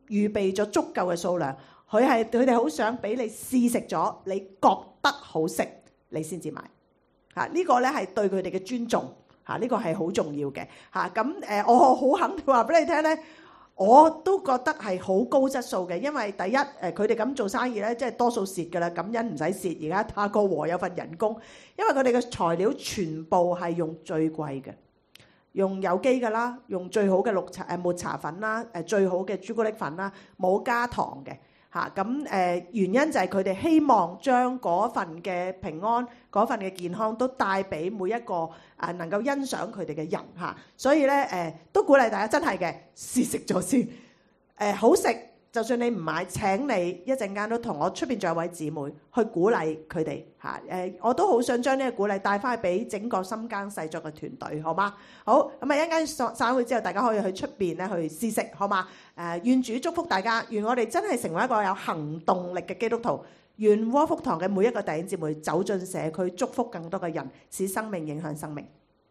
預備咗足夠嘅數量。佢哋好想俾你試食咗，你覺得好食，你先至買嚇。呢個咧係對佢哋嘅尊重嚇，呢個係好重要嘅嚇。咁我好肯定話俾你聽咧，我都覺得係好高質素嘅，因為第一佢哋咁做生意咧，即係多數蝕㗎啦，感恩唔使蝕。而家塔哥和有份人工，因為佢哋嘅材料全部係用最貴嘅，用有機㗎啦，用最好嘅抹茶粉啦，最好嘅朱古力粉啦，冇加糖嘅。咁原因就係佢哋希望將嗰份嘅平安、嗰份嘅健康都帶俾每一個能夠欣賞佢哋嘅人嚇，所以咧都鼓勵大家真係嘅試食咗先，好食就算你唔買，請你一陣間都同我出邊仲有位姊妹去鼓勵佢哋嚇，我都好想將呢個鼓勵帶翻去俾整個心間細作嘅團隊，好嗎？好，咁一陣間散會之後，大家可以去出邊咧去試食，好嗎？願主祝福大家，願我哋真係成為一個有行動力嘅基督徒，願窩福堂嘅每一個弟兄姊妹走進社區，祝福更多嘅人，使生命影響生命。